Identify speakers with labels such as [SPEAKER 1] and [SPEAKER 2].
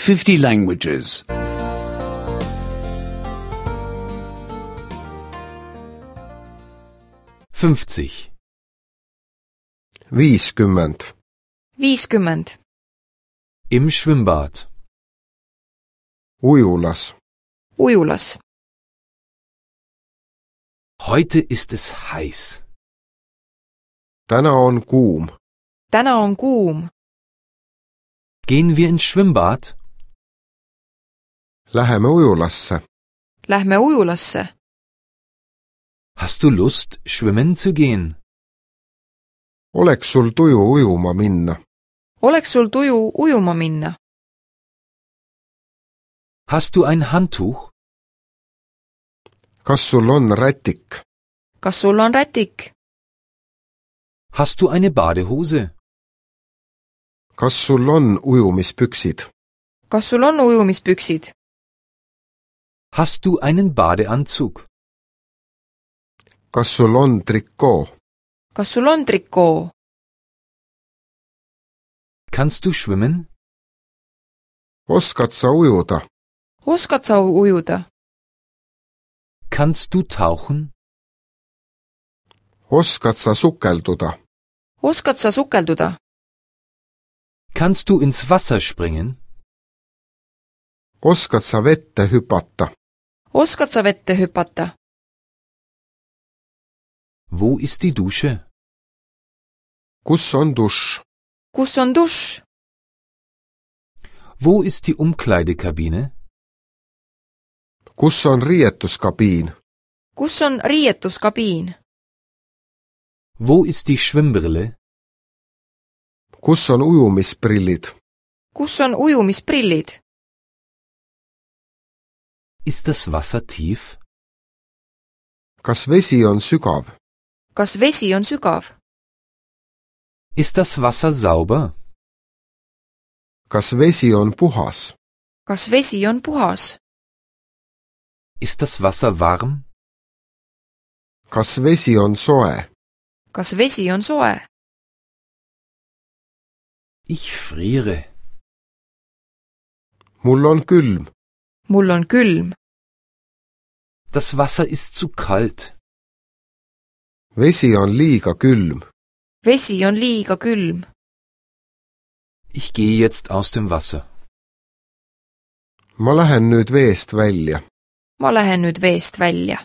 [SPEAKER 1] 50 languages.
[SPEAKER 2] 50.
[SPEAKER 3] 50.
[SPEAKER 4] 50.
[SPEAKER 2] Im Schwimmbad.
[SPEAKER 3] Ujulas.
[SPEAKER 4] Ujulas.
[SPEAKER 2] Heute ist es heiß.
[SPEAKER 3] Täna on kuum.
[SPEAKER 4] Täna on kuum.
[SPEAKER 2] Gehen wir ins Schwimmbad?
[SPEAKER 3] Läheme ujulasse.
[SPEAKER 4] Lähme ujulasse.
[SPEAKER 2] Hast du Lust, schwimmen zu gehen?
[SPEAKER 3] Oleks sul tuju ujuma minna?
[SPEAKER 4] Oleks sul tuju ujuma minna?
[SPEAKER 2] Hast du ein Handtuch?
[SPEAKER 3] Kas sul on rätik?
[SPEAKER 4] Kas sul on rätik?
[SPEAKER 2] Hast du eine Badehose?
[SPEAKER 3] Kas sul on ujumispüksid?
[SPEAKER 4] Kas sul on ujumispüksid?
[SPEAKER 2] Hast du einen Badeanzug?
[SPEAKER 3] Kas sul on trikoo?
[SPEAKER 4] Kas sul on trikoo?
[SPEAKER 2] Kannst du schwimmen?
[SPEAKER 3] Oskad sa ujuda?
[SPEAKER 4] Oskad sa ujuda?
[SPEAKER 2] Kannst du tauchen?
[SPEAKER 3] Oskad sa sukelduda?
[SPEAKER 4] Oskad sa sukelduda?
[SPEAKER 2] Kannst du ins Wasser springen?
[SPEAKER 3] Oskad sa vette hüpata?
[SPEAKER 4] Oskad sa vette hüpata?
[SPEAKER 2] Wo ist die Dusche?
[SPEAKER 3] Kus on dušš?
[SPEAKER 4] Kus on dušš?
[SPEAKER 2] Wo ist die Umkleidekabine?
[SPEAKER 3] Kus on riietuskabiin?
[SPEAKER 4] Kus on riietuskabiin?
[SPEAKER 2] Wo ist die Schwimmbrille?
[SPEAKER 3] Kus on ujumisprillid?
[SPEAKER 4] Kus on ujumisprillid?
[SPEAKER 2] Ist das Wasser tief?
[SPEAKER 3] Kas vesi on sügav?
[SPEAKER 4] Kas vesi on sügav?
[SPEAKER 2] Ist das Wasser sauber?
[SPEAKER 3] Kas vesi on puhas?
[SPEAKER 4] Kas vesi on puhas?
[SPEAKER 2] Ist das Wasser warm?
[SPEAKER 3] Kas vesi on soe?
[SPEAKER 4] Kas vesi on soe?
[SPEAKER 2] Ich friere.
[SPEAKER 3] Mul on külm.
[SPEAKER 4] Mul on külm.
[SPEAKER 2] Das Wasser ist zu kalt.
[SPEAKER 3] Vesi on liiga külm.
[SPEAKER 4] Vesi on liiga külm.
[SPEAKER 2] Ich gehe jetzt aus dem Wasser.
[SPEAKER 3] Ma lähen nüüd veest välja.
[SPEAKER 4] Ma lähen nüüd veest välja.